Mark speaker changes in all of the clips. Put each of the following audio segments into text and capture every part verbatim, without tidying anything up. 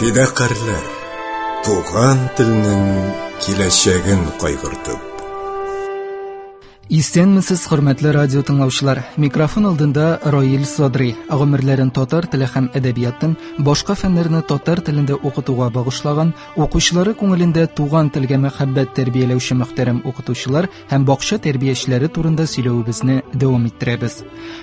Speaker 1: Фидакарьләр, туган телнең киләчәген кайгыртып.
Speaker 2: Исәнмесез, хөрмәтле радио тыңлаучылар. Микрофон алдында Раил Садри. Гомерләрен татар теле һәм әдәбиятын, башка фәннәрне татар телендә укытуга багышлаган, укучылары күңелендә туган телгә мәхәббәт тәрбияләүче мөхтәрәм укытучылар һәм бакча тәрбиячеләре турында сөйләвебезне дәвам иттерәбез.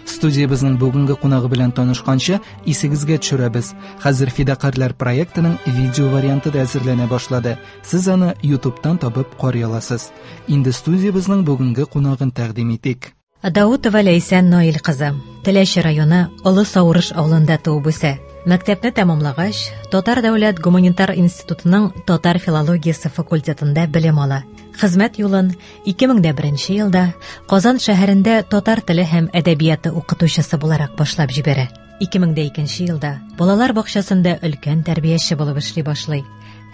Speaker 2: Студиябезнең бүгенге кунагы белән танышканчы, исегезгә төшерәбез. Хәзер Фидакарьләр проектының видео варианты да әзерләнә башлады. Сез аны YouTube'тан табып карый аласыз. Инде студиябезнең бүгенге кунагы тәкъдим итик.
Speaker 3: Даутова Ләйсән Наил кызы Теләче районы Олы Саурыш авылында туып үсә. Мәктәпне тәмамлагач, Татар дәүләт гуманитар институтының татар филологиясе факультетында белем ала. Хезмәт юлын ике мең дә беренче елда Казан шәһәрендә татар теле һәм әдәбияты укытучысы буларак башлап җибәрә. Ике мең дә икенче елда балалар бакчасында өлкән тәрбияче булып эшли башлый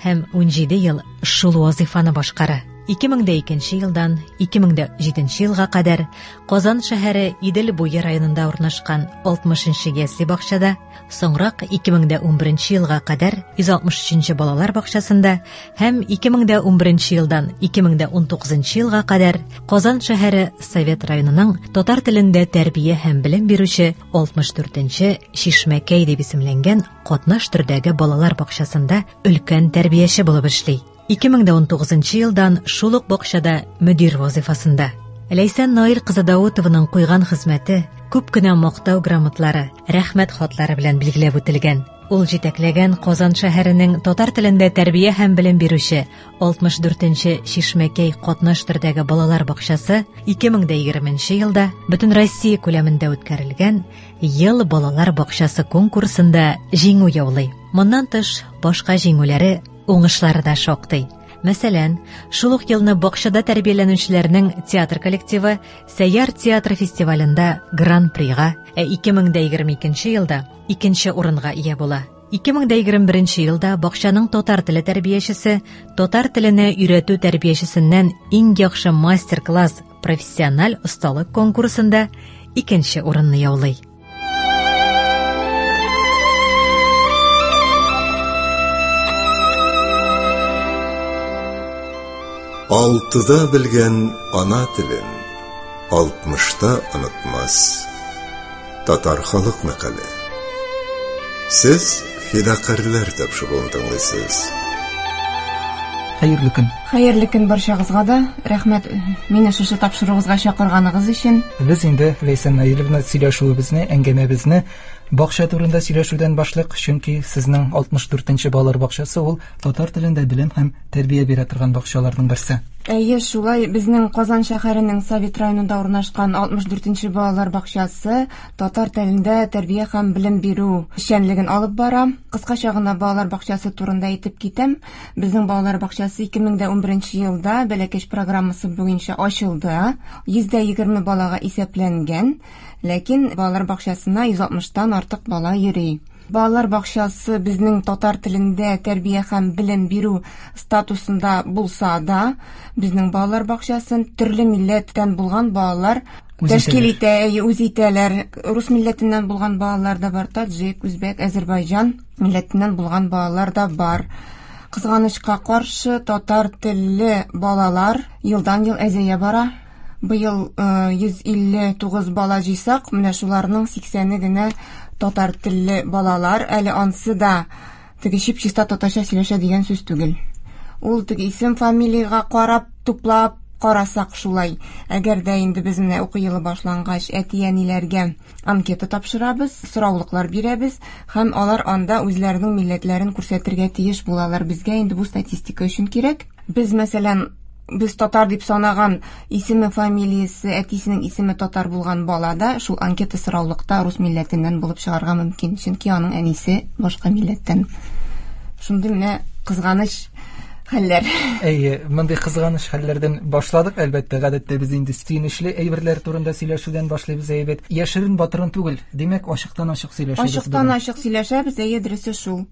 Speaker 3: һәм унҗиде ел шул вазифаны башкара. Ике мең дә икенче елдан ике мең дә җиденче елга кадәр Казан шәһәре Идел буе районында урнашкан алтмышынчы ясле бакчада, соңрак ике мең дә унберенче елга кадәр йөз алтмыш өченче балалар бакчасында һәм ике мең дә унберенче елдан ике мең дә унтугызынчы елга кадәр Казан шәһәре Совет районының татар телендә тәрбия һәм белем бирүче алтмыш дүртенче Чишмәкәй дип исемләнгән катнаш төрдәге балалар бакчасында өлкән тәрбияче булып эшли. Ике мең дә унтугызынчы елдан шул ук бакчада мөдир вазифасында. Ләйсән Наил кызы Даутованың куйган хезмәте күп кенә мактау грамотлары, рәхмәт хатлары белән билгеләп үтелгән. Ул җитәкләгән Казан шәһәренең татар телендә тәрбия һәм белем бирүче алтмыш дүртенче Чишмәкәй катнаш төрдәге балалар бакчасы ике мең дә егерменче елда бөтен Россия күләмендә үткәрелгән Ел балалар бакчасы конкурсында җиңү яулый. Моннан тыш, башка җиңүләре, уңышлары да шактый. Мәсәлән, шул ук елны бакчада тәрбияләнүчеләрнең театр коллективы Сәйяр театр фестивалендә Гран-прига, ә ике мең дә егерме икенче елда икенче урынга ия була. Ике мең дә егерме беренче елда бакчаның татар теле тәрбиячесе татар теленә өйрәтү тәрбиячесеннән иң яхшы мастер-класс профессиональ осталык конкурсында икенче урынны яулый.
Speaker 1: Алтыда белгән ана телен алтмышта онытмас. Татар халык мәкале. Сез Фидакарьләр тапшыруын тыңлыйсыз.
Speaker 2: Хәерле көн.
Speaker 4: Хәерле көн барчагызга да. Рәхмәт мине шушы тапшыруыгызга чакырганыгыз өчен.
Speaker 2: Без инде Ләйсән Наиловна сөйләшүебезне, әңгәмәбезне бакча турында сөйләшүдән башлык, чөнки сезнең алтмыш дүртенче балалар бакчасы ул татар телендә белем һәм тәрбия бирә торган бакчаларның берсе.
Speaker 4: Әйе, шулай, безнең Казан шәһәренең Совет районында урнашкан алтмыш дүртенче балалар бакчасы татар телендә тәрбия һәм белем бирү эшчәнлеген алып бара. Кыскача гына балалар бакчасы турында әйтеп китәм. Безнең балалар бакчасы ике мең дә унберенче елда Бәләкәч программасы буенча ачылды. Йөз дә егерме балага исәпләнгән, ләкин балалар бакчасына йөз алтмыштан артык бала йөри. Балалар бакчасы безнең татар телендә тәрбия һәм белем бирү статусында булса да, безнең балалар бакчасын төрле милләттән булган балалар
Speaker 2: Үз
Speaker 4: тәшкил
Speaker 2: итәләр.
Speaker 4: итә, үз итәләр. Рус милләтеннән булган балалар да бар, таджик, үзбәк, әзербайҗан милләтеннән булган балалар да бар. Кызганычка каршы, татар телле балалар елдан-ел әзәя бара. Быел, э, йөз илле тугыз бала җыйсак, менә шуларның сиксәне генә татар телле балалар. Әле ансы да теге чип-чиста татарча сөйләшә дигән сүз түгел. Ул теге исем, фамилиягә карап, туплап карасак шулай. Әгәр дә инде без менә уку елы башлангач әти-әниләргә анкета тапшырабыз, сораулыклар бирәбез һәм алар анда үзләренең милләтләрен күрсәтергә тиеш булалар. Безгә инде бу статистика өчен кирәк. Без, мәсәлән, без татар дип санаган исеме, фамилиясе, әтисенең исеме татар булган бала да шул анкета сораулыкта рус милләтеннән булып чыгарга мөмкин, чөнки аның әнисе башка милләттән. Шундый менә кызганыч хәлләр.
Speaker 2: Әйе, мондый кызганыч хәлләрдән башладык, әлбәттә, гадәттә без инде сөенечле әйберләр турында сөйләшүдән башлыйбыз, әйбәт. Яшерен батырын түгел, димәк, ачыктан ачык сөйләшәбез
Speaker 4: Ачыктан
Speaker 2: бүген.
Speaker 4: ачык сөйләшәбез, әйе, дөресе шул.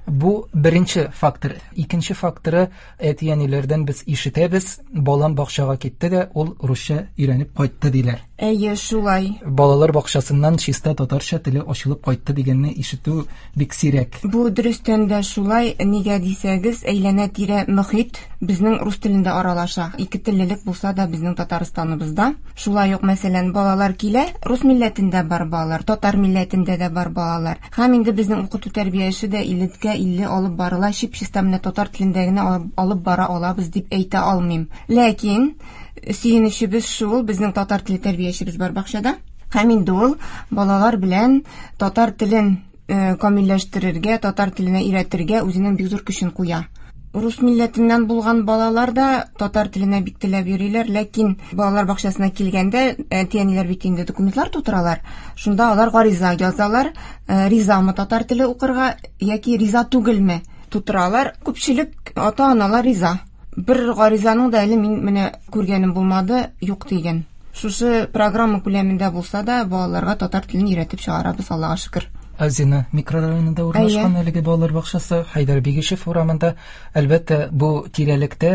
Speaker 2: Бу беренче фактор. Икенче факторы, әти-әниләрдән без ишетәбез, балам бакчага китте дә, ул русча өйрәнеп кайтты диләр.
Speaker 4: Әйе, шулай.
Speaker 2: Балалар бакчасыннан чиста татарча теле ачылып кайтты дигәнне ишетү бик сирәк.
Speaker 4: Бу дөрестән дә шулай, нигә дисәгез, әйләнә-тирә мөхит безнең рус телендә аралаша. Ике теллелек булса да безнең Татарстаныбызда. Шулай ук, мәсәлән, балалар килә, рус милләтендә бар балалар, татар милләтендә дә бар балалар. Һәм инде безнең укыту тәрбия эше дә иллегә илле алып барыла, чип-чиста менә татар телендә генә алып бара алабыз дип әйтә алмыйм. Ләкин сөенечебез шул, безнең татар теле тәрбиячебез бар бакчада. Һәм инде ул балалар белән татар телен камилләштерергә, татар теленә өйрәтергә үзенең бик зур көчен куя. Рус милләтеннән булган балалар да татар теленә бик теләп йөриләр, ләкин балалар бакчасына килгәндә әти-әниләр бит инде документлар тутыралар. Шунда алар гариза язалар, ризамы татар теле укырга яки риза түгелме тутыралар. Күпчелек ата-аналар риза. Бер гаризаның да әле мин менә күргәнем булмады, юк дигән. Шушы программа күләмендә булса да балаларга татар телен өйрәтеп чыгарабыз, Аллага шөкер.
Speaker 2: Азина микрорайонында урнашкан әлеге балалар бакчасы Хәйдәр Бигешев урамында. Әлбәттә, бу тирәлектә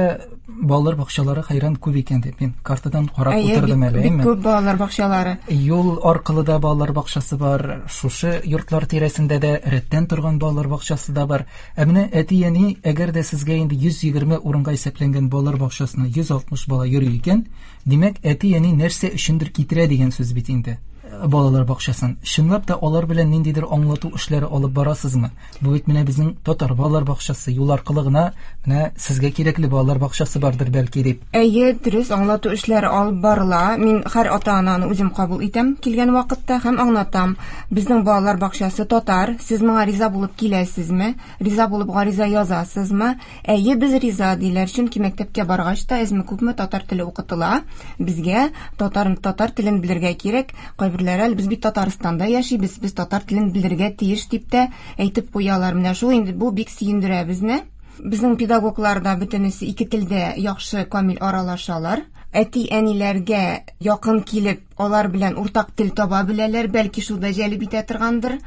Speaker 2: балалар бакчалары хәйран күп икән дип мин картадан карап утырдым әле,
Speaker 4: әйме? Бик күп балалар бакчалары.
Speaker 2: Юл аркылы да балалар бакчасы бар, шушы йортлар тирәсендә дә рәттән торган балалар бакчасы да бар. Ә менә әти-әни, әгәр дә сезгә инде йөз егерме урынга исәпләнгән балалар бакчасына йөз алтмыш бала йөри икән, димәк, әти-әни нәрсә өчендер китерә дигән сүз бит инде балалар бакчасын. Чынлап та алар белән ниндидер аңлату эшләре алып барасызмы? Бу бит менә безнең татар балалар бакчасы, юл аркылы гына менә сезгә кирәкле балалар бакчасы бардыр бәлки дип.
Speaker 4: Әйе, дөрес аңлату эшләре алып барыла. Мин һәр ата-ананы үзем кабул итәм килгән вакытта һәм аңлатам. Безнең балалар бакчасы татар, сез моңа риза булып киләсезме? Риза булып гариза язасызмы? Әйе, без риза диләр, чөнки мәктәпкә баргач та әзме-күпме татар теле укытыла. Безгә татар татар телен белергә кирәк. Кайберләре, без бит Татарстанда яшибез, без татар телен белергә тиеш дип тә әйтеп куялар. Менә шул инде бу бик сөендерә безне. Безнең педагоглар да бөтенесе ике телдә яхшы камил аралашалар. Әти-әниләргә якын килеп, алар белән уртак тел таба беләләр, бәлки шул да җәлеп итә торгандыр.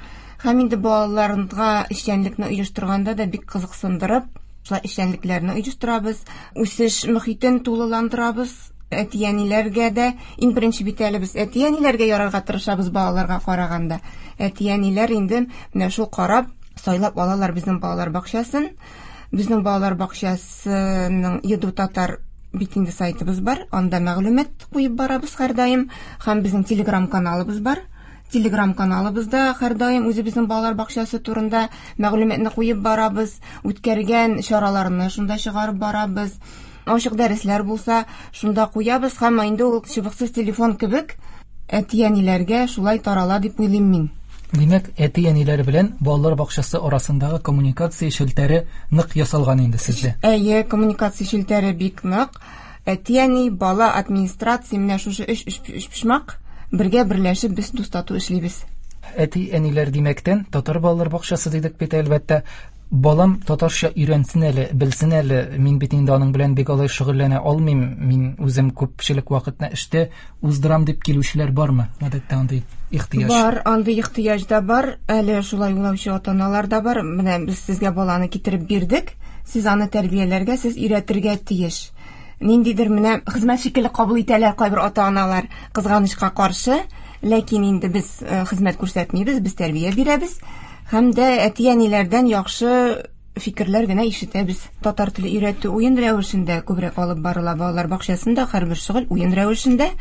Speaker 4: Һәм инде балаларга эшчәнлекне оештырганда да бик кызыксындырып, шулай эшчәнлекләрне оештырабыз, үсеш мөхитен тулыландырабыз. Әти-әниләргә дә иң беренче бит әле без әти-әниләргә ярарга тырышабыз балаларга караганда. Әти-әниләр инде менә шул карап, сайлап алалар безнең балалар бакчасын. Безнең балалар бакчасының Еду татар бит инде сайтыбыз бар, анда мәгълүмат куеп барабыз һәрдаим, һәм безнең Telegram каналыбыз бар. Telegram каналыбызда һәрдаим үзебезнең балалар бакчасы турында мәгълүматны куеп барабыз, үткәргән чараларны шунда чыгарып барабыз. Ачык дәресләр булса, шунда куябыз һәм инде ул чыбыксыз телефон кебек әти-әниләргә шулай тарала дип уйлыйм мин.
Speaker 2: Димәк, әти-әниләр белән балалар бакчасы арасындагы коммуникация челтәре нык ясалган инде сездә.
Speaker 4: Әйе, коммуникация челтәре бик нык. Әти-әни, бала, администрация менә шушы өч өчпочмак бергә берләшеп без дус-тату эшлибез.
Speaker 2: Әти-әниләр димәктән, татар балалар бакчасы дидек бит әлбәттә. Балам татарча өйрәнсен әле, белсен әле, мин бит инде аның белән бик алай шөгыльләнә алмыйм, мин үзем күпчелек вакытны эштә уздырам дип килүчеләр бармы? Гадәттә андый ихтыяҗ.
Speaker 4: Бар, андый ихтыяҗ да бар, әле шулай уйлаучы ата-аналар да бар. Менә без сезгә баланы китереп бирдек, сез аны тәрбияләргә, сез өйрәтергә тиеш. Ниндидер менә хезмәт шикелле кабул итәләр кайбер ата-аналар, кызганычка каршы, ләкин инде без хезмәт күрсәтмибез, без тәрбия бирәбез. Һәм дә әти-әниләрдән яхшы фикерләр генә ишетәбез. Татар теле өйрәтү уен рәвешендә күбрәк алып барыла балалар бакчасында, һәрбер шөгыль уен рәвешендә.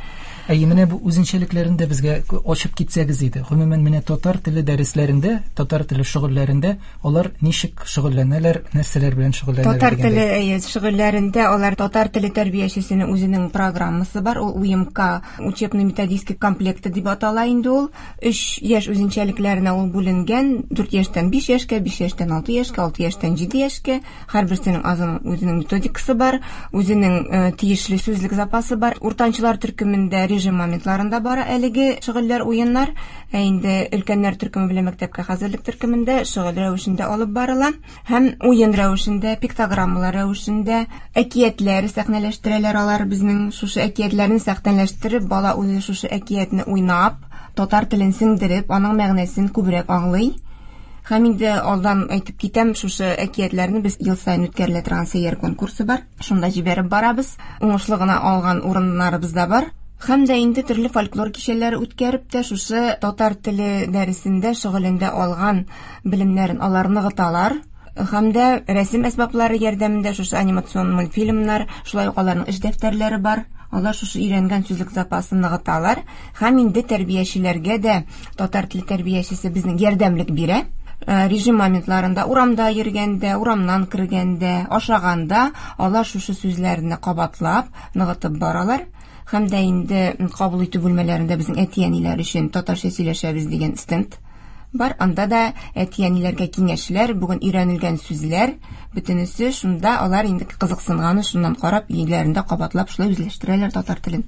Speaker 2: Әйе, менә бу үзенчәлекләрен дә безгә ачып китсәгез иде. Гомумән, менә татар теле дәресләрендә, татар теле шөгыльләрендә алар ничек шөгыльләнәләр, нәрсәләр белән шөгыльләнәләр?
Speaker 4: Татар теле әйе, шөгыльләрендә алар татар теле тәрбиячесенең үзенең программасы бар. Ул У М К учебно-методический комплекты дип атала инде ул. Өч яшь үзенчәлекләренә ул бүленгән. Дүрт яшьтән биш яшькә, биш яшьтән алты яшькә, алты яшьтән җиде яшькә. Һәрберсенең азын үзенең методикасы бар, үзенең тиешле сүзлек запасы бар. Уртанчылар төркемендә режим моментларында бара әлеге шөгыльләр, уеннар. Ә инде өлкәннәр төркеме белән мәктәпкә хәзерлек төркемендә шөгыль рәвешендә алып барыла һәм уен рәвешендә, пиктограммалар рәвешендә әкиятләр сәхнәләштерәләр алар. Безнең шушы әкиятләрне сәхнәләштереп, бала үзе шушы әкиятне уйнап, татар телен сеңдереп, аның мәгънәсен күбрәк аңлый. Һәм инде алдан әйтеп китәм, шушы әкиятләрне без ел саен үткәрелә торган сәйяр конкурсы бар. Шунда җибәреп барабыз. Уңышлы гына алган урыннарыбыз да бар. Һәм дә инде төрле фольклор кичәләре үткәреп тә шушы татар теле дәресендә шөгылендә алган белемнәрен алар ныгыталар. Һәм дә рәсем әсбаплары ярдәмендә шушы анимацион мультфильмнар, шулай ук аларның эш дәфтәрләре бар. Алар шушы өйрәнгән сүзлек запасын ныгыталар. Һәм инде тәрбиячеләргә дә татар теле тәрбиячесе безнең ярдәмлек бирә. Режим моментларында урамда йөргәндә, урамнан кергәндә, ашаганда алар шушы сүзләрне кабатлап, ныгытып баралар. Һәм дә инде кабул итү бүлмәләрендә безнең әти-әниләр өчен татарча сөйләшәбез дигән стенд бар. Анда да әти-әниләргә киңәшләр, бүген өйрәнелгән сүзләр, бөтенесе шунда, алар инде кызыксынганы шуннан карап, өйләрендә кабатлап шулай үзләштерәләр татар телен.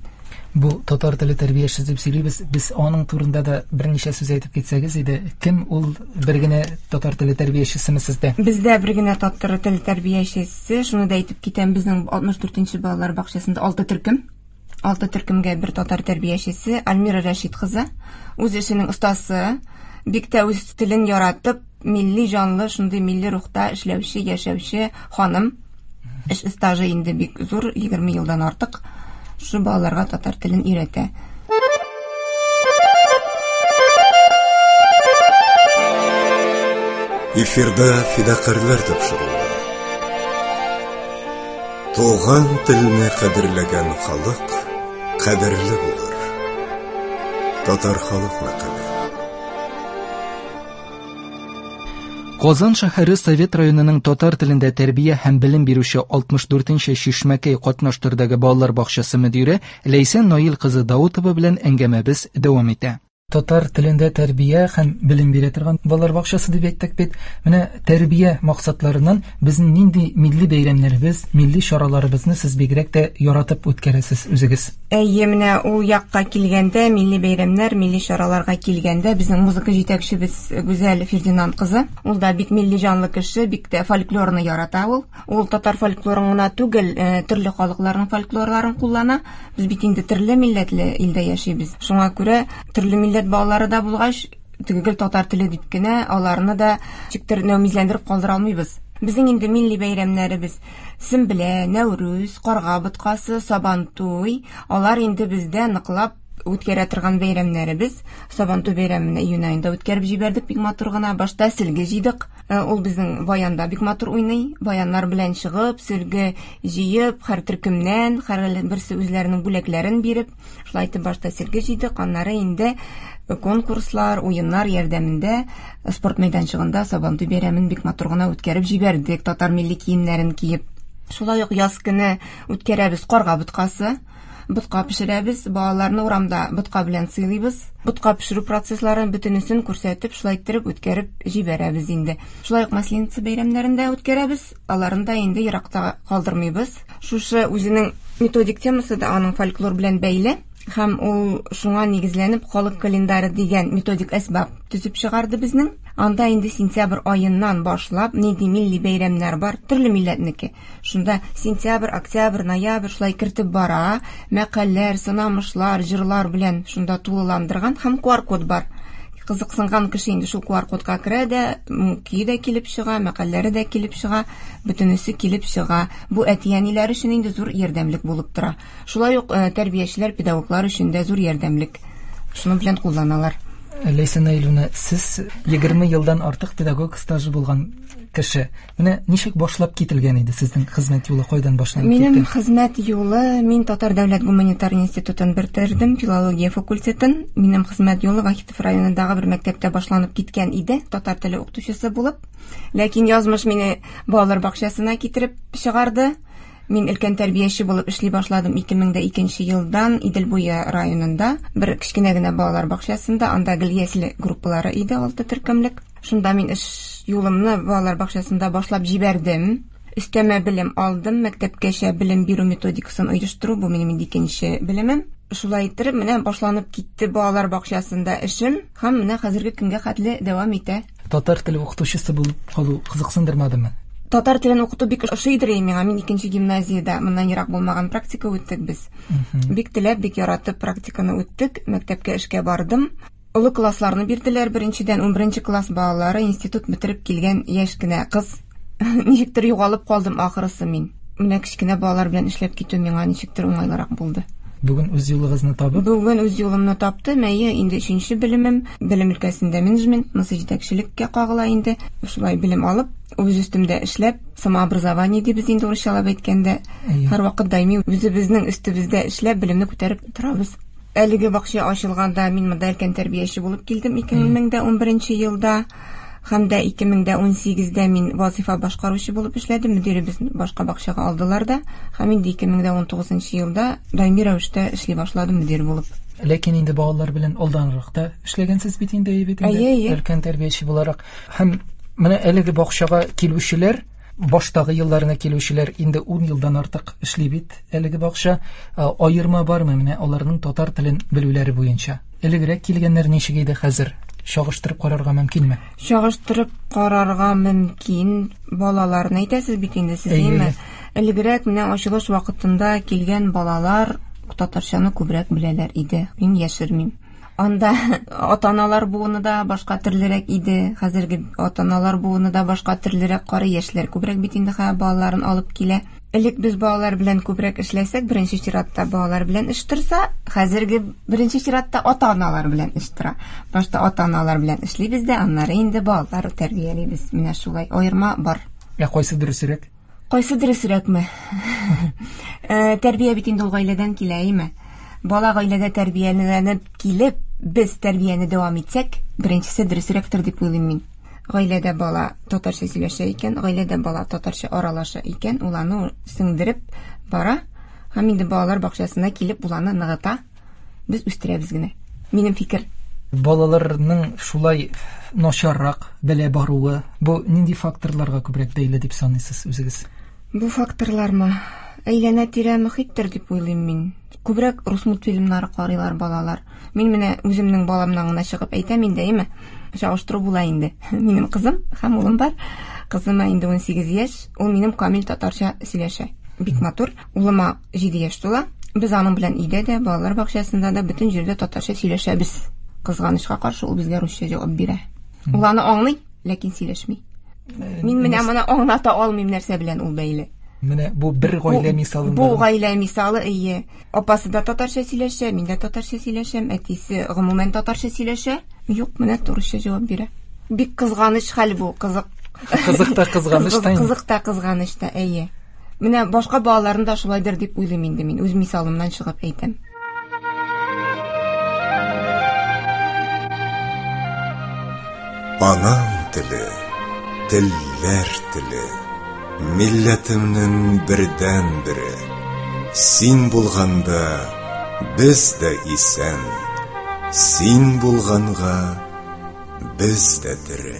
Speaker 2: Бу татар теле тәрбиячесе дип сөйлибез. Без аның турында да берничә сүз әйтеп китсәгез иде. Кем ул, бер генә татар теле тәрбиячесеме сездә?
Speaker 4: Бездә бер генә татар теле тәрбиячесе. Шуны да әйтеп китәм, безнең алтмыш дүртенче балалар бакчасында алты төркем. Алты төркемгә бер татар тәрбиячесе Альмира Рәшит кызы. Үз эшенең остасы, бик тә үз телен яратып, милли җанлы, шундый милли рухта эшләүче, яшәүче ханым. Эш стажы инде бик зур, егерме елдан артык. Шу балаларга татар телен өйрәтә.
Speaker 1: Эфирда фидакарьләр тапшыруы. Туган телне кадерләгән халык кадерле булыр. Татар халык мәкале.
Speaker 2: Казан шәһәре Совет районының татар телендә тәрбия һәм белем бирүче алтмыш дүртенче Чишмәкәй катнаш төрдәге балалар бакчасы мөдире Ләйсән Наил кызы Даутова белән әңгәмәбез дәвам итә. Татар телендә тәрбия һәм белем бирә торган балалар бакчасы дип әйттек бит. Менә тәрбия максатларыннан безнең нинди милли бәйрәмнәребез, милли чараларыбызны сез бигрәк тә яратып үткәрәсез үзегез?
Speaker 4: Әйе, менә ул якка килгәндә, милли бәйрәмнәр, милли чараларга килгәндә, безнең музыка җитәкчебез Гүзәл Фердинанд кызы, ул да бик милли җанлы кеше, бик тә фольклорны ярата ул. Ул татар фольклорын гына түгел, төрле халыкларның фольклорларын куллана. Без бит инде төрле милләтле илдә яшибез. Шуңа күрә төрле милләт балалары да булгач, төгәл татар теле дип кенә аларны да ничектер нәүмизләндереп калдыра алмыйбыз. Безнең инде милли бәйрәмнәребез Сөмбелә, Нәүрүз, Карга боткасы, Сабантуй, алар инде бездә ныклап үткәрә торган бәйрәмнәребез. Сабантуй бәйрәмен июнь аенда үткәреп җибәрдек бик матур гына. Башта сөлге җыйдык. Ул безнең баянда бик матур уйный. Баяннар белән чыгып, сөлге җыеп, һәр төркемнән, һәр берсе үзләренең бүләкләрен биреп, шулай итеп башта сөлге җыйдык. Аннары инде конкурслар, уеннар ярдәмендә спорт мәйданчыгында Сабантуй бәйрәмен бик матур гына үткәреп җибәрдек, татар милли киемнәрен киеп. Шулай ук яз көне үткәрәбез карга боткасы. Ботка пешерәбез, балаларны урамда ботка белән сыйлыйбыз. Ботка пешерү процессларын бөтенесен күрсәтеп, шулай иттереп үткәреп җибәрәбез инде. Шулай ук Масленица бәйрәмнәрен дә үткәрәбез, аларын да инде еракта калдырмыйбыз. Шушы үзенең методик темасы да аның фольклор белән бәйле. Һәм ул шуңа нигезләнеп халык календары дигән методик әсбап төзеп чыгарды безнең. Анда инде сентябрь аеннан башлап нинди милли бәйрәмнәр бар, төрле милләтнеке. Шунда сентябрь, октябрь, ноябрь шулай кертеп бара, мәкальләр, сынамышлар, җырлар белән шунда тулыландырган һәм ку ар код бар. Кызыксынган кеше инде шул ку ар кодка керә дә, көе дә килеп чыга, мәкальләре дә килеп чыга, бөтенесе килеп чыга. Бу әти-әниләр өчен инде зур ярдәмлек булып тора. Шулай ук тәрбиячеләр, педагоглар өчен дә зур ярдәмлек. Шуның белән кулланалар.
Speaker 2: Ләйсән Наиловна, сез егерме елдан артык педагог стажы булган кеше. Менә ничек башлап кителгән иде сезнең хезмәт юлы, кайдан башланып китте?
Speaker 4: Минем хезмәт юлы, мин Татар дәүләт гуманитар институтын бетердем, филология факультетын. Минем хезмәт юлы Вахитов районындагы бер мәктәптә башланып киткән иде, татар теле укытучысы булып. Ләкин язмыш мине балалар бакчасына китереп чыгарды. Мин өлкән тәрбияче булып эшли башладым ике мең дә икенче елдан Идел буе районында бер кечкенә генә балалар бакчасында, анда гел ясле группалары иде, алты төркемлек. Шунда мин эш юлымны балалар бакчасында башлап җибәрдем. Өстәмә белем алдым, мәктәпкәчә белем бирү методикасын оештыру, бу минем инде икенче белемем. Шулай иттереп, менә башланып китте балалар бакчасында эшем һәм менә хәзерге көнгә хәтле дәвам итә.
Speaker 2: Татар теле укытучысы булып калу кызыксындырмадымы?
Speaker 4: Татар телен укыту бик ошыйдыр миңа. Мин икенче гимназиядә моннан ерак булмаган практика үттек без. Бик теләп, бик яратып практиканы үттек. Мәктәпкә эшкә бардым. Олы классларны бирделәр. Беренчедән, унберенче класс балалары институт бетереп килгән яшь кенә кыз. Ничектер югалып калдым ахрысы мин. Менә кечкенә балалар белән эшләп китү миңа ничектер уңайлырак булды.
Speaker 2: Бүген үз юлыгызны табып?
Speaker 4: Бүген үз юлымны таптым. Әйе, инде өченче белемем, белем өлкәсендә менеджмент, монысы җитәкчелеккә кагыла инде. Шулай белем алып, үз өстемдә эшләп, самообразование дибез инде урысчалап әйткәндә, һәрвакыт даими үзебезнең өстебездә эшләп, белемне күтәреп торабыз. Әлеге бакча ачылганда мин монда өлкән тәрбияче булып килдем ике мең дә унберенче елда. Һәм дә ике мең дә унсигездә мин вазифа башкаручы булып эшләдем. Мөдиребез башка бакчага алдылар да. Һәм инде ике мең дә унтугызынчы елда даими рәвештә эшли башладым мөдир булып.
Speaker 2: Ләкин инде балалар белән алданрак та эшләгәнсез бит инде, бит инде өлкән тәрбияче буларак. Һәм менә әлеге бакчага килүчеләр, баштагы елларына килүчеләр инде ун елдан артык эшли бит әлеге бакча. Аерма бармы менә аларның татар телен белүләре буенча? Элегрәк килгәннәр ничек иде, хәзер чагыштырып карарга мөмкинме?
Speaker 4: Чагыштырып карарга мөмкин. Балаларны әйтәсез бит инде сез, әйеме? Элегрәк менә ачылыш вакытында килгән балалар татарчаны күбрәк беләләр иде. Мин яшермим. Анда ата-аналар буыны да башка төрлерәк иде. Хәзерге ата-аналар буыны да башка төрлерәк, кары яшьләр күбрәк бит инде хәзер балаларын алып килә. Элек без балалар белән күбрәк эшләсәк, беренче чиратта балалар белән эш торса, хәзерге беренче чиратта ата-аналар белән эш тора. Башта ата-аналар белән эшлибез дә, аннары инде балалар тәрбиялибез. Менә шулай аерма бар.
Speaker 2: Ә кайсы дөресрәк?
Speaker 4: Кайсы дөресрәкме? Тәрбия бит инде ул гаиләдән килә, әйме? Бала гаиләдә тәрбияләнеп килеп, без тәрбияне дәвам итсәк, беренчесе дөресрәктер дип уйлыйм мин. Гаиләдә бала татарча сөйләшә икән, гаиләдә бала татарча аралаша икән, ул аны сеңдереп бара һәм инде балалар бакчасына килеп ул аны ныгыта. Без үстерәбез генә. Минем фикер.
Speaker 2: Балаларның шулай начаррак белә баруы, бу нинди факторларга күбрәк бәйле дип саныйсыз үзегез?
Speaker 4: Бу факторлармы? Әйләнә-тирә мөхиттер дип уйлыйм мин. Күбрәк рус мультфильмнары карыйлар балалар. Мин менә үземнең баламнан гына чыгып әйтәм инде, әйме? Чагыштыру була инде. Минем кызым һәм улым бар. Кызыма инде унсигез яшь. Ул минем камил татарча сөйләшә. Бик матур. Улыма җиде яшь тула. Без аның белән өйдә дә, балалар бакчасында да бөтен җирдә татарча сөйләшәбез. Кызганычка каршы ул безгә русча җавап бирә. Ул аны аңлый, ләкин сөйләшми. Мин менә моны аңлата алмыйм, нәрсә белән ул бәйле.
Speaker 2: Менә бу бер гаилә мисалында.
Speaker 4: Бу гаилә мисалы, әйе. Апасы да татарча сөйләшә, мин дә татарча сөйләшәм, әтисе гомумән татарча сөйләшә. Юк, менә турыча җавап бирә. Бик кызганыч хәл бу, кызык.
Speaker 2: Кызык та кызганыч та.
Speaker 4: Кызык та кызганыч та, әйе. Менә башка балаларны да шулайдыр дип уйлыйм инде мин, үз мисалымнан чыгып әйтәм.
Speaker 1: Анам теле, телләр теле, милләтемнең бердән-бере. Син булганда без дә исән, син булганга без дә тере.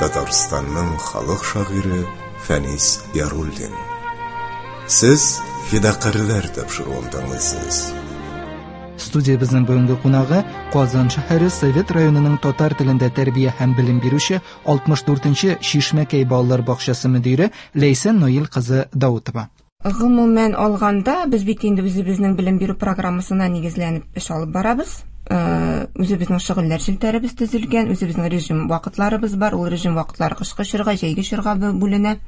Speaker 1: Татарстанның халык шагыйре Фәнис Яруллин. Сез Фидакарьләр тапшыруын тыңлыйсыз.
Speaker 2: Студиябезнең бүгенге кунагы Казан шәһәре Совет районының татар телендә тәрбия һәм белем бирүче алтмыш дүртенче Чишмәкәй балалар бакчасы мөдире Ләйсән Наил кызы Даутова.
Speaker 4: Гомумән алганда, без бит инде үзебезнең белем бирү программасына нигезләнеп эш алып барабыз. Үзебезнең шөгыльләр челтәребез төзелгән, үзебезнең режим вакытларыбыз бар. Ул режим вакытлары кышкы чорга, җәйге чорга бүленә.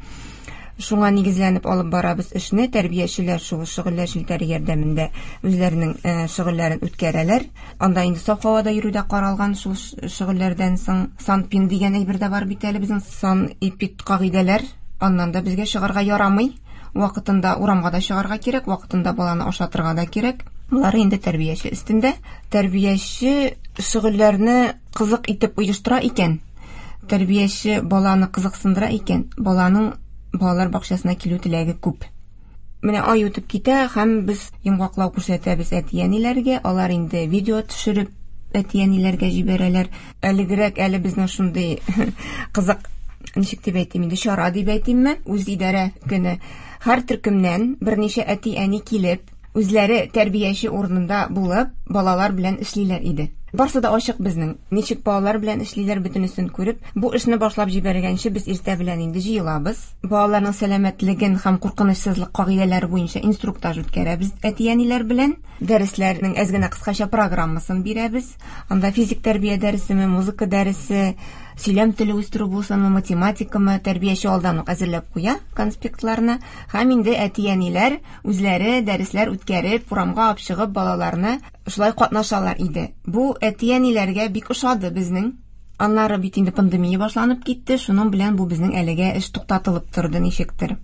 Speaker 4: Шуңа нигезләнеп алып барабыз эшне. Тәрбиячеләр шул шөгыльләр челтәре ярдәмендә үзләренең шөгыльләрен үткәрәләр. Анда инде саф һавада йөрү дә каралган. Шул шөгыльләрдән соң санпин дигән әйбер дә бар бит әле безнең, санэпид кагыйдәләр. Аннан да безгә чыгарга ярамый. Вакытында урамга да чыгарга кирәк, вакытында баланы ашатырга да кирәк. Болары инде тәрбияче өстендә. Тәрбияче шөгыльләрне кызык итеп оештыра икән, тәрбияче баланы кызыксындыра икән, баланың балалар бакчасына килү теләге күп. Менә ай үтеп китә һәм без йомгаклау күрсәтәбез әти-әниләргә. Алар инде видео төшереп әти-әниләргә җибәрәләр. Әлегрәк әле безнең шундый кызык, ничек дип әйтим инде, чара дип әйтимме, үз идарә көне. Һәр төркемнән берничә әти-әни килеп, үзләре тәрбияче урынында булып, балалар белән эшлиләр иде. Барсы да ачык безнең. Ничек балалар белән эшлиләр, бөтенесен күреп, бу эшне башлап җибәргәнче без иртә белән инде җыелабыз. Балаларның сәламәтлеген һәм куркынычсызлык кагыйдәләре буенча инструктаж үткәрәбез әти-әниләр белән. Дәресләрнең әз генә кыскача программасын бирәбез. Анда физик тәрбия дәресеме, музыка дәресе, сөйләм теле үстерү булсынмы, математикамы, тәрбияче алдан ук әзерләп куя конспектларны. Һәм инде әти-әниләр үзләре дәресләр үткәреп, урамга алып чыгып балаларны шулай катнашалар иде. Бу әти-әниләргә бик ошады безнең. Аннары бит инде пандемия башланып китте, шуның белән бу безнең әлегә эш туктатылып торды ничектер.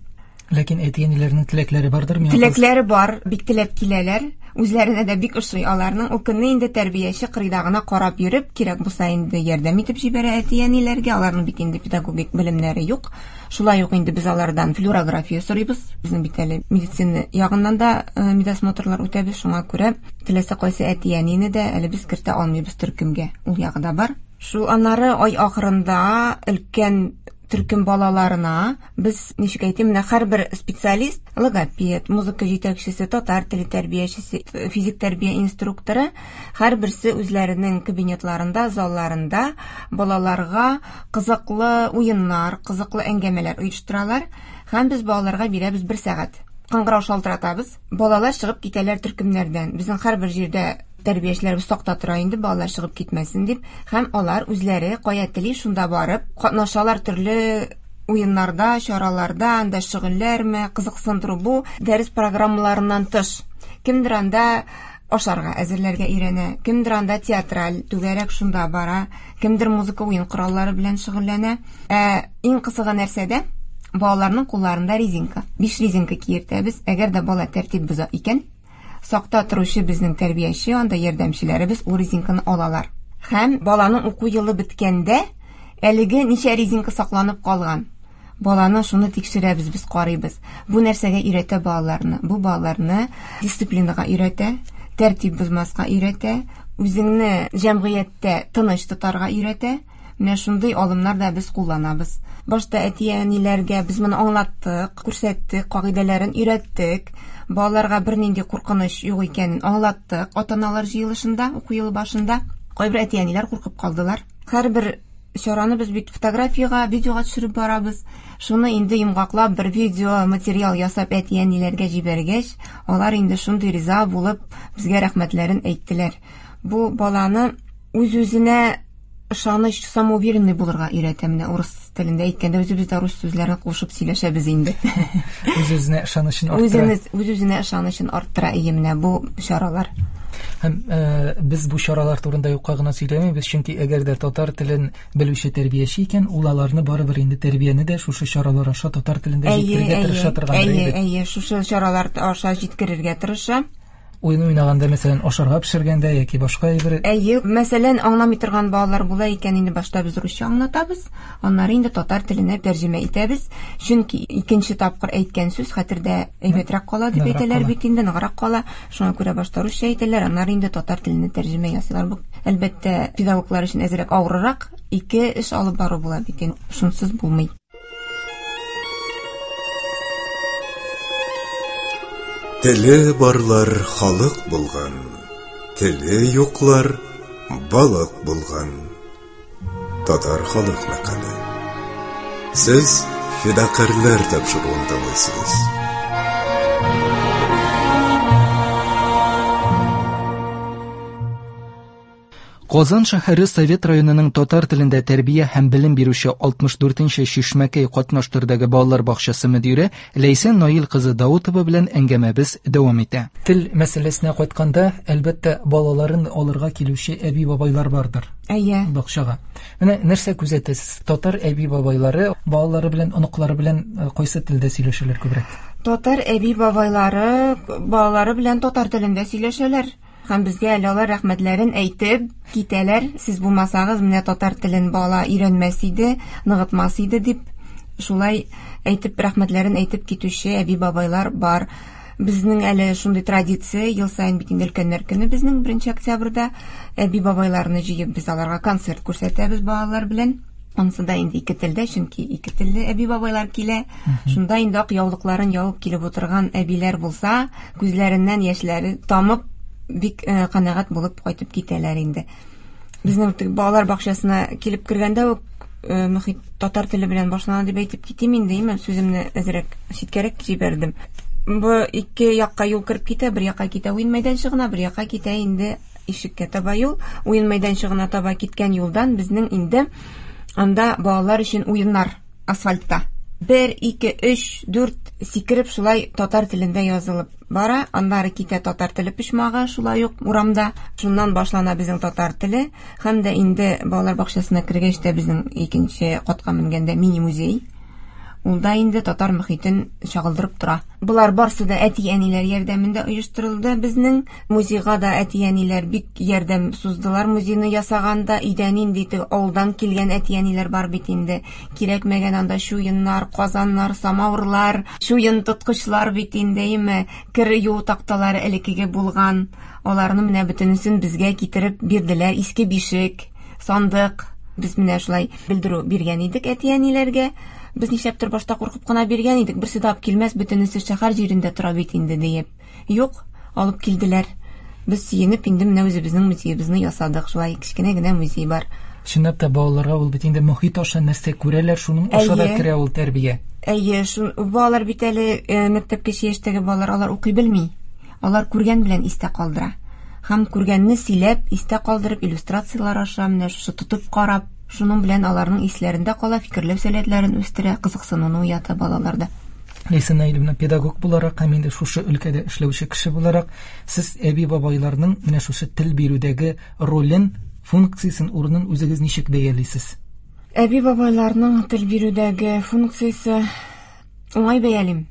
Speaker 2: Ләкин әти-әниләрнең теләкләре бардыр миңа?
Speaker 4: Теләкләре бар, бик теләп киләләр. Үзләренә дә бик ошый аларның. Ул көнне инде тәрбияче кырыйда гына карап йөреп, кирәк булса инде ярдәм итеп җибәрә әти-әниләргә. Аларның бит инде педагогик белемнәре юк. Шулай ук инде без алардан флюорография сорыйбыз. Безнең бит әле медицина ягыннан да медосмотрлар үтәбез. Шуңа күрә теләсә кайсы әти-әнине дә әле без кертә алмыйбыз төркемгә. Ул ягы да бар. Шул аннары ай ахырында өлкән төркем балаларына без, ничек әйтим, менә һәрбер специалист, логопед, музыка җитәкчесе, татар теле тәрбиячесе, физик тәрбия инструкторы, һәрберсе үзләренең кабинетларында, залларында балаларга кызыклы уеннар, кызыклы әңгәмәләр оештыралар. Һәм без балаларга бирәбез бер сәгать. Кыңгырау шалтыратабыз. Балалар чыгып китәләр төркемнәрдән. Безнең һәрбер җирдә тәрбиячеләребез сакта тора инде, балалар чыгып китмәсен дип, һәм алар үзләре кая тели шунда барып катнашалар төрле уеннарда, чараларда, анда шөгыльләрме, кызыксындыру бу дәрес программаларыннан тыш. Кемдер анда ашарга әзерләргә өйрәнә, кемдер анда театраль түгәрәк шунда бара, кемдер музыка уен кораллары белән шөгыльләнә. Ә иң кызыгы нәрсәдә? Балаларның кулларында резинка. Биш резинка киертәбез. Әгәр дә бала тәртип боза икән, сакта торучы безнең тәрбияче, анда ярдәмчеләребез ул резинканы алалар. Һәм баланың уку елы беткәндә әлеге ничә резинка сакланып калган. Баланы шуны тикшерәбез, без карыйбыз. Бу нәрсәгә өйрәтә балаларны? Бу балаларны дисциплинага өйрәтә, тәртип бозмаска өйрәтә, үзеңне җәмгыятьтә тыныч тотарга өйрәтә. Менә шундый алымнар да без кулланабыз. Башта әти-әниләргә без моны аңлаттык, күрсәттек, кагыйдәләрен өйрәттек. Балаларга бернинди куркыныч юк икәнен аңлаттык. Ата-аналар җыелышында, уку елы башында кайбер әти-әниләр куркып калдылар. Һәрбер чараны без бит фотографиягә, видеога төшереп барабыз. Шуны инде йомгаклап бер видео материал ясап әти-әниләргә җибәргәч, алар инде шундый риза булып безгә рәхмәтләрен әйттеләр. Бу баланы үз-үзенә ышаныч, самоуверенный булырга өйрәтә. Менә урыс телендә әйткәндә үзебез дә рус сүзләрен кушып сөйләшәбез инде.
Speaker 2: Үз-үзенә ышанычын арттыра.
Speaker 4: Үз-үзенә ышанычын арттыра ие менә бу чаралар.
Speaker 2: Һәм э, без бу чаралар турында юкка гына сөйләмибез, чөнки әгәр дә татар телен белүче тәрбияче икән, ул аларны барыбер инде тәрбияне дә шушы чаралар аша татар телендә җиткерергә тырыша торгандыр
Speaker 4: инде. Әйе, әйе, шушы чаралар аша җиткерергә тырыша.
Speaker 2: Уен уйнаганда, мәсәлән, ашарга пешергәндә яки башка әйбер.
Speaker 4: Әйе, мәсәлән, аңламый торган балалар була икән, инде башта без русча аңлатабыз, аннары инде татар теленә тәрҗемә итәбез. Чөнки икенче тапкыр әйткән сүз хәтердә әйбәтрәк кала дип әйтәләр бит инде, ныграк кала. Шуңа күрә башта русча әйтәләр, аннары инде татар теленә тәрҗемә ясыйлар. Бу, әлбәттә, педагоглар өчен әзрәк авыррак, ике эш алып бару була бит инде, шунсыз булмый.
Speaker 1: Теле барлар халык булган, теле юклар балык булган. Татар халык мәкале. Сез Фидакарьләр тапшыруын тыңлыйсыз.
Speaker 2: Казан шәһәре Совет районының татар телендә тәрбия һәм белем бирүче алтмыш дүртенче Чишмәкәй катнаш төрдәге балалар бакчасы мөдире Ләйсән Наил кызы Даутова белән әңгәмәбез дәвам итә. Тел мәсьәләсенә кайтканда, әлбәттә, балаларын алырга килүче әби-бабайлар бардыр.
Speaker 4: Әйе.
Speaker 2: Бакчага. Менә нәрсә күзәтәсез? Татар әби-бабайлары балалары белән, оныклары белән кайсы телдә сөйләшәләр күбрәк?
Speaker 4: Татар әби-бабайлары балалары белән татар телендә сөйләшәләр. Һәм безгә әле алар рәхмәтләрен әйтеп китәләр. Сез булмасагыз, менә татар телен бала өйрәнмәс иде, ныгытмас иде дип шулай әйтеп рәхмәтләрен әйтеп китүче әби-бабайлар бар. Безнең әле шундый традиция, ел саен бит инде өлкәннәр көне безнең беренче октябрьдә әби-бабайларны җыеп без аларга концерт күрсәтәбез балалар белән. Анысы да инде ике телдә, чөнки ике телле әби-бабайлар килә. Шунда инде ак яулыкларын ябып килеп утырган әбиләр булса, күзләреннән яшьләре тамып бик канәгать булып кайтып китәләр инде. Безнең балалар бакчасына килеп кергәндә үк мөхит татар теле белән башлана дип әйтеп китим инде, имән сүземне әзрәк читкәрәк җибәрдем. Бу ике якка юл кереп китә, бер якка китә уен мәйданчыгына, бер якка китә инде ишеккә таба юл. Уен мәйданчыгына таба киткән юлдан безнең инде анда балалар өчен уеннар асфальтта. Бер, ике, өч, дүрт сикереп шулай татар телендә язылып бара. Аннары китә татар теле почмагы шулай ук урамда. Шуннан башлана безнең татар теле. Һәм дә инде балалар бакчасына кергәч тә безнең икенче катка менгәндә мини-музей. Ул да инде татар мөхитен чагылдырып тора. Болар барсы да әти-әниләр ярдәмендә оештырылды безнең. Музейга да әти-әниләр бик ярдәм суздылар музейны ясаганда. Өйдә нинди авылдан килгән әти-әниләр бар бит инде. Кирәкмәгән анда чуеннар, казаннар, самавырлар, чуен тоткычлар бит инде, әйме, кер юу такталары элеккеге булган. Аларны менә бөтенесен безгә китереп бирделәр. Иске бишек, сандык. Без менә шулай белдерү биргән идек әти-әниләргә. Без нишләптер башта куркып кына биргән идек, берсе дә алып килмәс, бөтенесе шәһәр җирендә тора бит инде диеп. Юк, алып килделәр. Без сөенеп инде менә үзебезнең музеебызны ясадык. Шулай кечкенә генә музей бар.
Speaker 2: Чынлап та балаларга ул бит инде мөхит аша нәрсә күрәләр, шуның аша да керә ул тәрбия.
Speaker 4: Әйе, шун балалар бит әле мәктәпкәчә яшьтәге балалар, алар укый белми. Алар күргән белән истә калдыра. Һәм күргәнне сөйләп, истә калдырып, иллюстрациялар аша менә шушы тотып карап, шуның белән аларның исләрендә кала, фикерләү сәләтләрен үстерә, кызыксынуны уята балаларда.
Speaker 2: Ләйсән Наилевна, педагог буларак һәм инде шушы өлкәдә эшләүче кеше буларак, сез әби-бабайларның менә шушы тел бирүдәге ролен, функциясен, урынын үзегез ничек бәялисез?
Speaker 4: Әби-бабайларның тел бирүдәге функциясе уңай бәялим.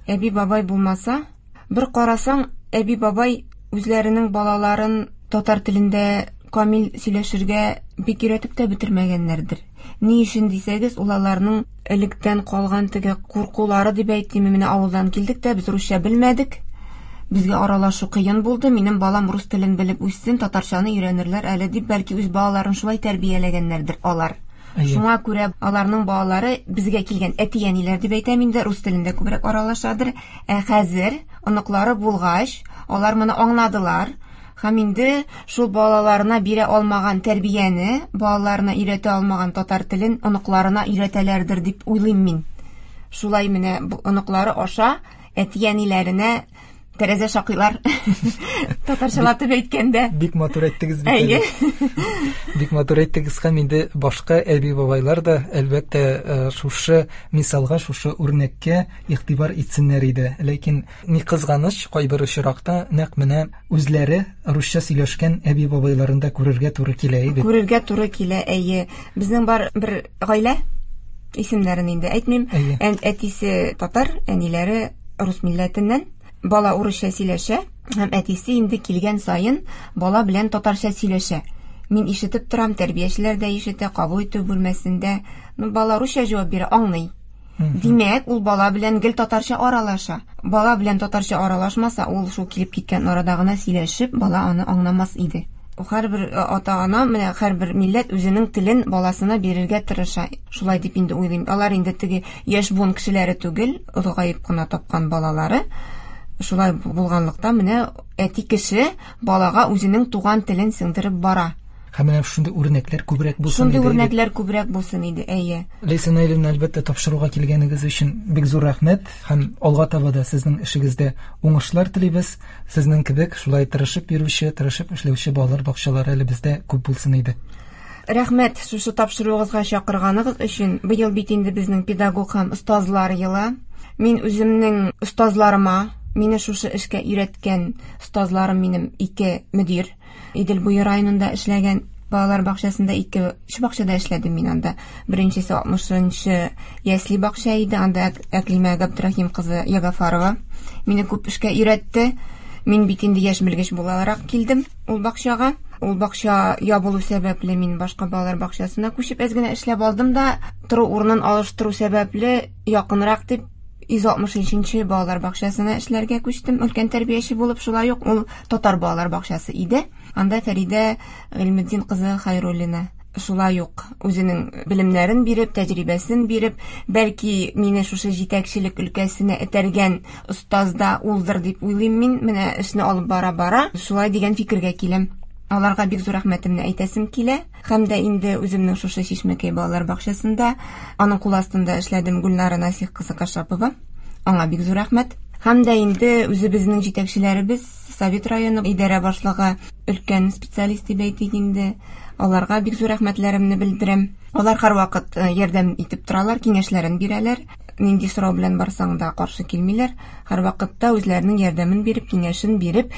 Speaker 4: Әби-бабай булмаса, бер карасаң, әби-бабай үзләренең балаларын татар телендә камил сөйләшергә бик өйрәтеп тә бетермәгәннәрдер. Ни өчен дисәгез, ул аларның электән калган теге куркулары дип әйтим, менә авылдан килдек тә без русча белмәдек. Безгә аралашу кыен булды. Минем балам рус телен белеп үссен, татарчаны өйрәнерләр әле дип, бәлки үз балаларын шулай тәрбияләгәннәрдер алар. Шуңа күрә аларның балалары безгә килгән әти-әниләр дип әйтәм инде, рус телендә күбрәк аралашадыр. Ә хәзер оныклары булгач, алар моны аңладылар. Һәм инде шул балаларына бирә алмаган тәрбияне, балаларына өйрәтә алмаган татар телен оныкларына өйрәтәләрдер дип уйлыйм мин. Шулай менә оныклары аша әти-әниләренә тәрәзә шакыйлар. Татарчалатып әйткәндә.
Speaker 2: Бик матур әйттегез бит әле. Бик матур әйттегез һәм инде башка әби-бабайлар да әлбәттә шушы мисалга, шушы үрнәккә игътибар итсеннәр иде. Ләкин ни кызганыч, кайбер очракта нәкъ менә үзләре русча сөйләшкән әби-бабайларын да күрергә туры килә иде.
Speaker 4: Күрергә туры килә, әйе. Безнең бар бер гаилә, исемнәрен инде әйтмим. Әтисе татар, әниләре рус милләтеннән. Бала урысча сөйләшә, һәм әтисе инде килгән саен бала белән татарча сөйләшә. Мин ишетеп торам, тәрбиячеләр дә ишетә, кабул итү бүлмәсендә. Ну, бала русча җавап бирә, аңлый. Димәк, ул бала белән гел татарча аралаша. Бала белән татарча аралашмаса, ул шул килеп киткән арада гына сөйләшеп, бала аны аңламас иде. Һәрбер ата-ана, менә һәрбер милләт үзенең телен баласына бирергә тырыша. Шулай дип инде уйлыйм. Алар инде теге яшь буын кешеләре түгел, олыгаеп кына тапкан балалары. Шулай булганлыктан менә әти кеше балага үзенең туган телен сеңдереп бара.
Speaker 2: Һәм менә шундый үрнәкләр күбрәк булсын иде.
Speaker 4: Шундый үрнәкләр күбрәк булсын иде, әйе.
Speaker 2: Ләйсән Наилевна, әлбәттә, тапшыруга килгәнегез өчен бик зур рәхмәт һәм алга таба да сезнең эшегездә уңышлар телибез. Сезнең кебек шулай тырышып йөрүче, тырышып эшләүче балалар бакчалары әле бездә күп булсын иде.
Speaker 4: Рәхмәт шушы тапшыруыгызга чакырганыгыз өчен. Быел бит инде безнең педагог һәм остазлар елы. Мин үземнең остазларыма, мине шушы эшкә өйрәткән остазларым минем ике мөдир. Идел буе районында эшләгән балалар бакчасында ике өч бакчада эшләдем мин анда. Беренчесе алтмышынчы ясле бакча иде, анда Әклимә Габдрахим кызы Ягафарова мине күп эшкә өйрәтте. Мин бит инде яшь белгеч буларак килдем ул бакчага. Ул бакча ябылу сәбәпле мин башка балалар бакчасына күчеп әз генә эшләп алдым да, тору урынын алыштыру сәбәпле якынрак дип йөз алтмыш өченче балалар бакчасына эшләргә күчтем. Өлкән тәрбияче булып, шулай ук ул татар балалар бакчасы иде. Анда Фәридә Гыйльметдин кызы Хайруллина шулай ук үзенең белемнәрен биреп, тәҗрибәсен биреп, бәлки мине шушы җитәкчелек өлкәсенә этәргән остаз да улдыр дип уйлыйм мин. Менә эшне алып бара-бара шулай дигән фикергә киләм. Аларга бик зур рәхмәтемне әйтәсем килә. Һәм дә инде үземнең шушы Чишмәкәй балалар бакчасында, аның кул астында эшләдем Гөлнара Насих кызы Кашапова. Аңа бик зур рәхмәт. Һәм дә инде үзебезнең җитәкчеләребез, Совет районы идарә башлыгы, өлкән специалист дип әйтик инде, аларга бик зур рәхмәтләремне белдерәм. Алар һәрвакыт ярдәм итеп торалар, киңәшләрен бирәләр. Нинди сорау белән барсаң да каршы килмиләр. Һәрвакытта үзләренең ярдәмен биреп, киңәшен биреп,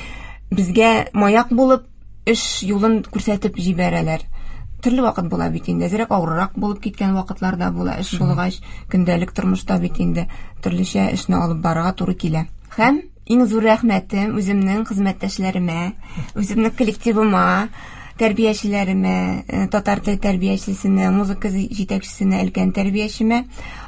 Speaker 4: безгә маяк булып, эш юлын күрсәтеп җибәрәләр. Төрле вакыт була бит инде, әзрәк авыррак булып киткән вакытлар да була. Эш булгач, көндәлек тормышта бит инде төрлечә эшне алып барырга туры килә. Һәм иң зур рәхмәтем үземнең хезмәттәшләремә, үземнең коллективыма, тәрбиячеләремә, татар теле тәрбиячесенә, музыка җитәкчесенә, өлкән тәрбиячемә.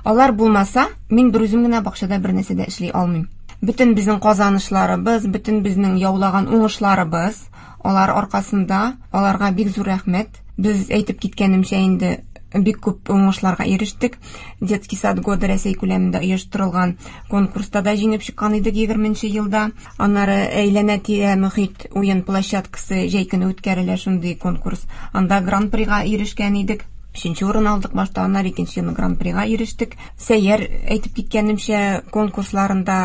Speaker 4: Алар булмаса, мин бер үзем генә бакчада бер нәрсә дә эшли алмыйм. Бөтен безнең казанышларыбыз, бөтен безнең яулаган уңышларыбыз алар аркасында, аларга бик зур рәхмәт. Без әйтеп киткәнемчә инде бик күп уңышларга ирештек. Детский сад года Рәсәй күләмендә оештырылган конкурста да җиңеп чыккан идек егерменче елда. Аннары әйләнә-тирә мөхит уен площадкасы җәй көне үткәрелә шундый конкурс. Анда гран-прига ирешкән идек. Өченче урын алдык башта, аннары икенче елны гран-прига ирештек. Сәйяр әйтеп киткәнемчә конкурсларында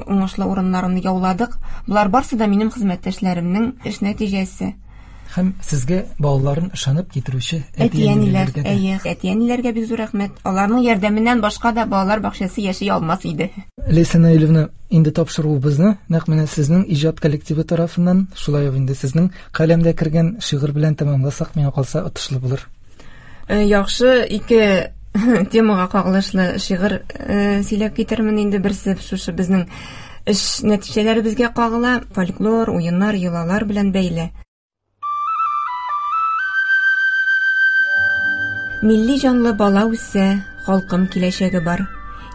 Speaker 4: уңышлы урыннарны яуладык. Булар барсы да минем хезмәттәшләремнең эш нәтиҗәсе.
Speaker 2: Һәм сезгә балаларын ышанып китерүче
Speaker 4: әти-әниләр,
Speaker 2: әти-әниләргә дә.
Speaker 4: Әйе, әти-әниләргә бик зур рәхмәт. Аларның ярдәменнән башка да балалар бакчасы яши алмас иде.
Speaker 2: Ләйсән Наилевна, инде тапшыруыбызны нәкъ менә сезнең иҗат коллективы тарафыннан, шулай ук инде сезнең каләмдә кергән шигырь белән тәмамласак, миңа калса отышлы булыр.
Speaker 4: Э, яхшы, ике темага кагылышлы шигырь, э, сөйләп китермен инде. Берсе шушы безнең эш нәтиҗәләребезгә кагыла, фольклор, уеннар, йолалар белән бәйле. Милли җанлы бала үсә, халкым киләчәге бар.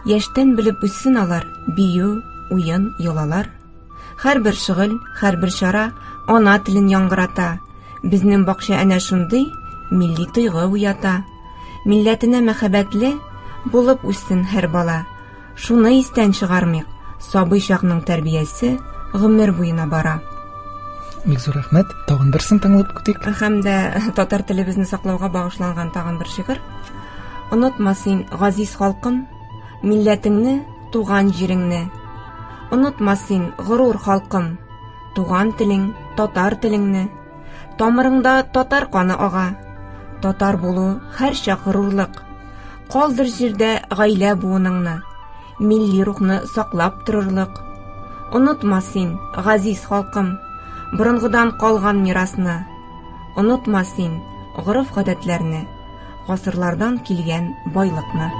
Speaker 4: Яшьтән белеп үссен алар, бию, уен, йолалар. Һәрбер шөгыль, һәрбер чара ана телен яңгырата. Безнең бакча әнә шундый милли тойгы уята. Милләтенә мәхәббәтле булып үссен һәр бала. Шуны истән чыгармыйк, сабый чакның тәрбиясе гомер буена бара.
Speaker 2: Бик зур рәхмәт. Тагын берсен тыңлап көтик.
Speaker 4: Һәм дә татар телебезне саклауга багышланган тагын бер шигырь. Онытма син, газиз халкым, милләтеңне, туган җиреңне. Онытма син, горур халкым, туган телең, татар телеңне. Тамырыңда татар каны ага. Татар булу һәрчак горурлык. Калдыр җирдә гаилә буыныңны, милли рухны саклап торырлык. Онытма син, газиз халкым, борынгыдан калган мирасны. Онытма син гореф-гадәтләрне, гасырлардан килгән байлыкны.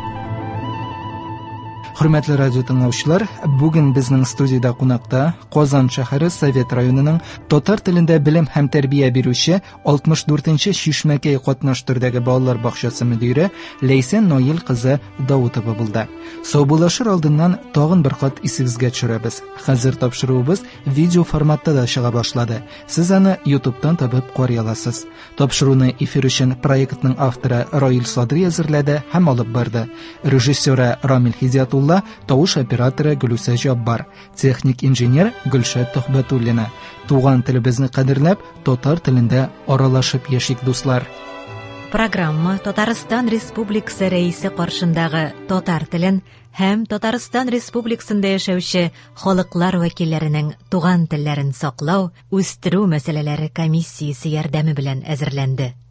Speaker 2: Хөрмәтле радио тыңлаучылар, бүген безнең студиядә кунакта Казан шәһәре Совет районының татар телендә белем һәм тәрбия бирүче алтмыш дүртенче Чишмәкәй катнаш төрдәге балалар бакчасы мөдире Ләйсән Наил кызы Даутова булды. Саубуллашыр алдыннан тагын бер кат исегезгә төшерәбез. Хәзер тапшыруыбыз видео форматта да чыга башлады. Сез аны YouTube'тан табып карый аласыз. Тапшыруны эфир өчен проектның авторы Раил Садри әзерләде һәм алып барды. Режиссеры Рамил Хидиятулла, тавыш операторы Гөлүсә Җаббар, техник инженер Гөлшат Төхбәтуллина. Туган телебезне кадерләп, татар телендә аралашып яшик, дуслар.
Speaker 3: Программа Татарстан Республикасы Рәисе каршындагы татар телен һәм Татарстан Республикасында яшәүче халыклар вәкилләренең туган телләрен саклау, үстерү мәсьәләләре комиссиясе ярдәме белән әзерләнде.